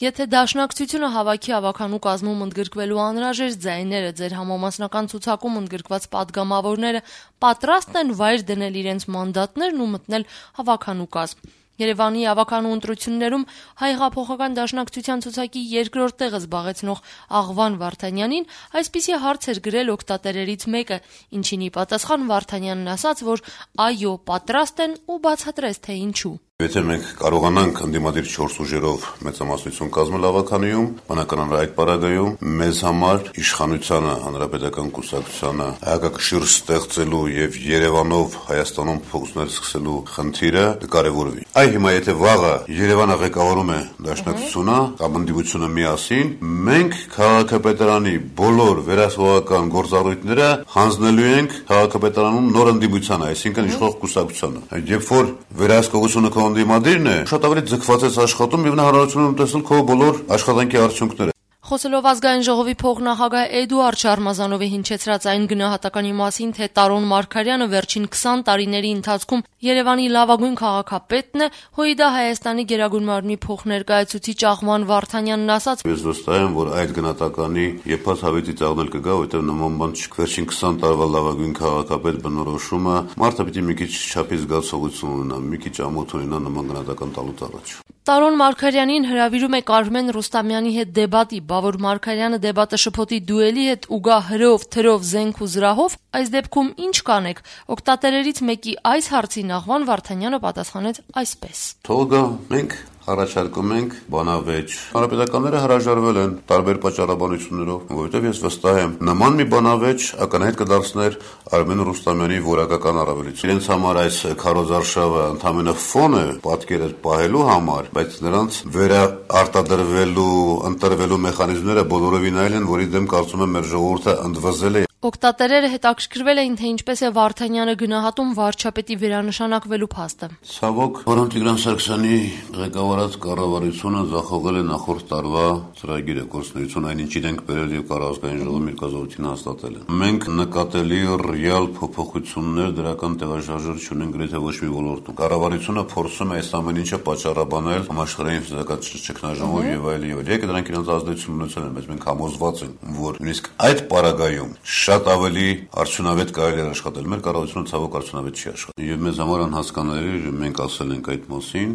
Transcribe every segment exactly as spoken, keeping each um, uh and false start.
Եթե Դաշնակցությունը հավաքի ավականու կազմում ընդգրկվելու անհրաժեշտ ձայները ձեր համամասնական ցուցակում ընդգրկված պատգամավորները պատրաստ են վայր դնել իրենց մանդատներն ու մտնել հավաքանու կազմ։ Երևանի ավականու ընտրություններում Հայ հեղափոխական դաշնակցության ցուցակի երկրորդ տեղը զբաղեցնող Աղվան Վարդանյանին այսպիսի հարց էր գրել օգտատերերից մեկը, ինչին ի պատասխան Վարդանյանն ասաց, որ այո, պատրաստ են ու բացատրեց, թե ինչու։ Եթե մենք կարողանանք ընդդիմադիր չորս ուժերով մեծամասնություն կազմել ավականիում, բնականաբար այդ պարագայում մեզ համար իշխանությանը, հանրապետական կուսակցությանը հակակշիռ ստեղծելու եւ Երևանով Հայաստանում փոխություններ սկսելու խնդիրը կկարևորվի։ Այ հիմա եթե վաղը Երևանը ղեկավարում է Դաշնակցությունը կամ ընդդիմությունը միասին, մենք քաղաքապետարանի բոլոր վերահսկողական գործառույթները հանձնելու ենք քաղաքապետարանում նոր ընդդիմությանը, այսինքն իշխող կուսակցությանը։ Երբ որ վերահսկողությունը Դիմադիրն է, շատ ավելի ձգված ես աշխատում եւ նա հնարավորություն ունի տեսնել քո բոլոր աշխատանքի արդյունքները։ Խոսելով ազգային ժողովի փոխնախագահ Էդուարդ Շարմազանովի հնչեցրած այն գնահատականի մասին, թե Տարոն Մարգարյանը վերջին քսան տարիների ընթացքում Երևանի լավագույն քաղաքապետն է, ՀՅԴ Հայաստանի Գերագույն մարմնի փոխներկայացուցիչ Աղվան Վարդանյանն ասաց. Ես վստահ եմ, որ այդ գնահատականի եփած հավետի ծաղնել կգա, որտեղ նման բան չի։ Վերջին քսան տարվա լավագույն քաղաքապետ բնորոշումը մարդը պիտի մի քիչ չափի զգացողություն ունենա, մի քիչ ամոթ ունենա նման գնահատական տալուց առաջ։ Տարոն Մարգարյանին հրավիրում է Կարմեն Ռուստամյանի հետ դեբատի, բա որ Մարգարյանը դեբատը շփոթի դուելի հետ ու գա հրով, թրով, զենք ու զրահով, այս դեպքում ինչ կանեք։ Օգտատերերից մեկի այս հարցին Աղվան Վարդանյանը պատասխանեց այսպես. Թող գա, մենք առաջարկում ենք բանավեճ։ Հանրապետականները հրաժարվել են տարբեր պատճառաբանություններով, որովհետև ես վստահ եմ, նման մի բանավեճ ակնհայտ կդարձներ Արմեն Ռուստամյանի որակական առավելություն։ Իրենց համար այս քարոզարշավը ընդամենը ֆոն է պատկերը պահելու համար, բայց նրանց վերարտադրվելու, ընտրվելու մեխանիզմները բոլորովին այլ են, որի դեմ կարծում եմ մեր ժողովուրդը ընդվզել է։ Օգտատերերը հետաքրքրվել էին, թե ինչպես է Վարդանյանը գնահատում վարչապետի վերանշանակվելու փաստը։ Ցավոք, Պարոն Տիգրան Սարգսյանի ղեկավարած կառավարությունը ձախողել է նախորդ տարվա ծրագիրը, գործունեություն, այն ինչ իրենք բերել եւ կառավարական ժողովի միրգազորությունը հաստատել են։ Մենք նկատելի ռեալ փոփոխություններ դրական տեղաշարժեր չունենք գրեթե ոչ մի ոլորտում։ Կառավարությունը փորձում է այս ամեն ինչը պատճառաբանել համաշխարհային ֆիզիկական ճգնաժամով եւ այլ եւ այլ։ Եկեք դրանք իրենց ազդեցություն ունեցել են, բայց մենք համոզված ենք, որ նույնիսկ այդ պարագայում շատ ավելի արդյունավետ կարելի է աշխատել։ Մեր կառավարությունը ցավոք արդյունավետ չի աշխատել։ Եվ մեզ համար անհասկանալի մենք ասել ենք այդ մասին,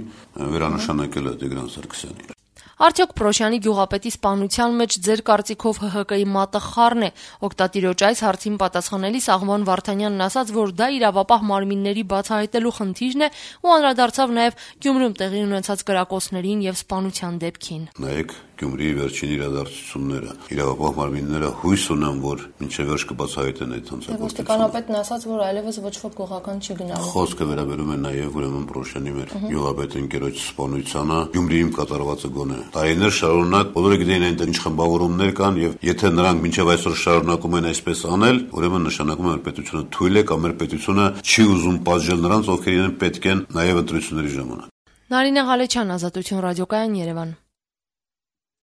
վերանշանակել է Տիգրան Սարգսյանին։ Արդյոք Պրոշյանի գյուղապետի սպանության մեջ ձեր կարծիքով ՀՀԿ-ի մատը խառն է։ Օգտատիրոջ այս հարցին պատասխանելիս Աղվան Վարդանյանն ասաց, որ դա իրավապահ մարմինների բացահայտելու խնդիրն է ու անդրադարձավ նաև Գյումրիում տեղի ունեցած կրակոցներին եւ սպանության դեպքին։ Նայեք Գյումրիի վերջին իրադարձությունները։ Իրավապահ մարմինները հույս ունեն, որ մինչև վերջ կբացահայտեն այդ հանցագործությունը։ Ոստիկանապետն ասաց, որ այլևս ոչ ոք գողական չի գնալու։ Խոսքը վերաբերում է նաև ուրեմն Պրոշյանի մեր գյուղապետ ընկերոջ սպանությանը, Գյումրիում կատարվածը գոնե։ Տարիներ շարունակ բոլորը գիտեին այնտեղ ինչ խմբավորումներ կան եւ եթե նրանք մինչեւ այսօր շարունակում են այսպես անել, ուրեմն նշանակում է որ պետությունը թույլ է կամ մեր պետությունը չի ուզում պատժել նրանց, ովքեր իրեն պետք են նաև ընտրությունների ժամանակ։ Նարինե Ղալեչյան, Ազատություն ռադիոկայան, Երևան։